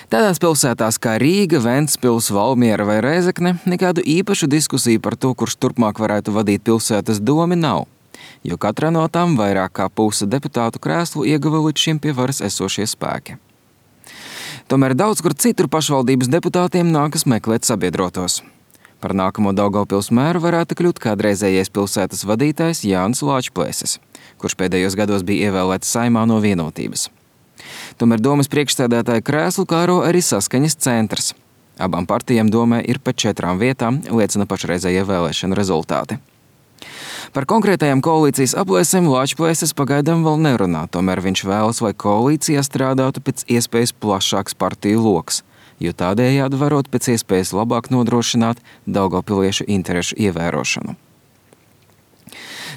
Tādās pilsētās kā Rīga, Ventspils, Valmiera vai Rēzekne nekādu īpašu diskusiju par to, kurš turpmāk varētu vadīt pilsētas domi, nav, jo katrā no tām vairāk kā puse deputātu krēslu ieguva līdz šim pie varas esošie spēki. Tomēr daudz kur citur pašvaldības deputātiem nākas meklēt sabiedrotos. Par nākamo Daugavpils mēru varētu kļūt kādreizējais pilsētas vadītājs Jānis Lāčplēsis, kurš pēdējos gados bija ievēlēts Saeimā no Vienotības. Tomēr domas priekšsēdētāja krēslu kāro arī Saskaņas centrs. Abām partijām domē ir pa 4 vietām, liecina pašreizējie vēlēšanu rezultāti. Par konkrētajām koalīcijas aplēsēm Lāčplēsis pagaidām vēl nerunā, tomēr viņš vēlas, lai koalīcijā strādātu pēc iespējas plašāks partiju loks, jo tādējādi varot pēc iespējas labāk nodrošināt daugavpiliešu interešu ievērošanu.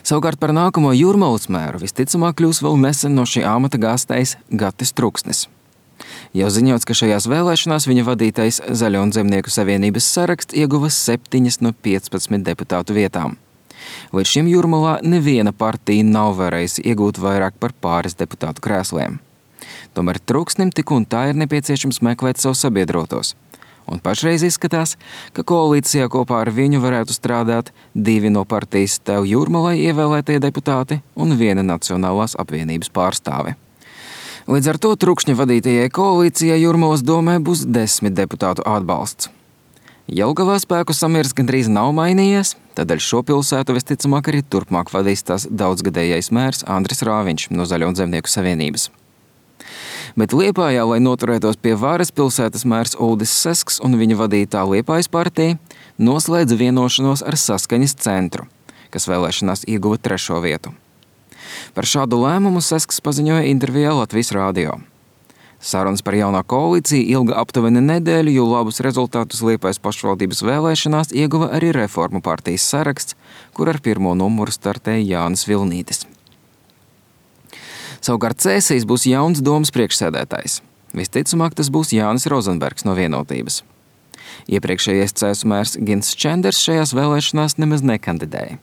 Savukārt par nākamo Jūrmalas mēru visticamāk kļūs vēl nesen no šī amata gāstais Gatis Truksnis. Jau ziņots, ka šajās vēlēšanās viņa vadītais Zaļo un Zemnieku savienības saraksts ieguva 7 no 15 deputātu vietām. Līdz šim Jūrmalā neviena partija nav varējusi iegūt vairāk par pāris deputātu krēsliem. Tomēr Truksnim tik un tā ir nepieciešams meklēt savus sabiedrotos. Un pašreiz izskatās, ka koalīcijā kopā ar viņu varētu strādāt 2 no partijas Tev Jūrmalai ievēlētie deputāti un 1 Nacionālās apvienības pārstāve. Līdz ar to Trukšņa vadītajai koalīcijai Jūrmalas domē būs 10 deputātu atbalsts. Jelgavā spēku samieris gandrīz nav mainījies, tādēļ šo pilsētu visticamāk arī turpmāk vadīs tās daudzgadējais mērs Andris Rāviņš no Zaļo un Zemnieku savienības. Bet Liepājā, lai noturētos pie varas, pilsētas mērs Uldis Sesks un viņa vadītā Liepājas partija noslēdza vienošanos ar Saskaņas centru, kas vēlēšanās ieguva 3. vietu. Par šādu lēmumu Sesks paziņoja intervijā Latvijas radio. Sarunas par jaunā koalīciju ilga aptuveni nedēļu, jo labus rezultātus Liepājas pašvaldības vēlēšanās ieguva arī Reformu partijas saraksts, kur ar 1. numuru startēja Jānis Vilnītis. Savukārt Cēsīs būs jauns domas priekšsēdētājs. Visticamāk, tas būs Jānis Rozenbergs no Vienotības. Iepriekšējais Cēsu mērs Gins Čenders šajās vēlēšanās nemaz nekandidēja.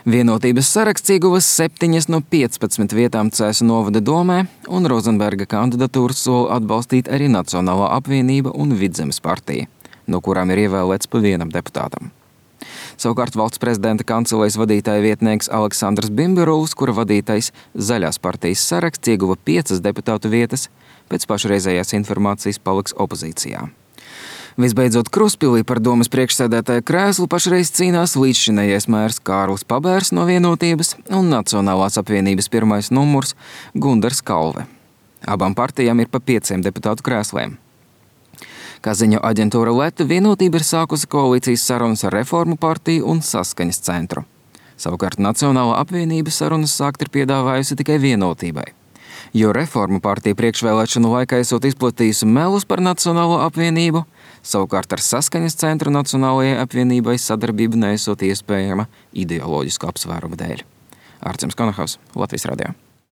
Vienotības saraksts ieguva 7 no 15 vietām Cēsu novada domē, un Rozenberga kandidatūru sola atbalstīt arī Nacionālā apvienība un Vidzemes partija, no kurām ir ievēlēts pa 1 deputātam. Savukārt valsts prezidenta kancelejas vadītāja vietnieks Aleksandrs Bimberuls, kura vadītais Zaļās partijas saraksts ieguva 5 deputātu vietas, pēc pašreizējās informācijas paliks opozīcijā. Visbeidzot, Kruspilī par domas priekšsēdētāja krēslu pašreiz cīnās līdzšinējais mērs Kārlis Pabērs no Vienotības un Nacionālās apvienības 1. numurs Gundars Kalve. Abām partijām ir pa 5 deputātu krēsliem. Kā ziņo aģentūra Leta, Vienotība ir sākusi koalīcijas sarunas ar Reformu partiju un Saskaņas centru. Savukārt Nacionālā apvienība sarunas sākt ir piedāvājusi tikai Vienotībai, jo Reformu partija priekšvēlēšanu laikā esot izplatījusi melus par Nacionālo apvienību, savukārt ar Saskaņas centru Nacionālajai apvienībai sadarbība neesot iespējama ideoloģisku apsvērumu dēļ. Arcims Konahaus, Latvijas radio.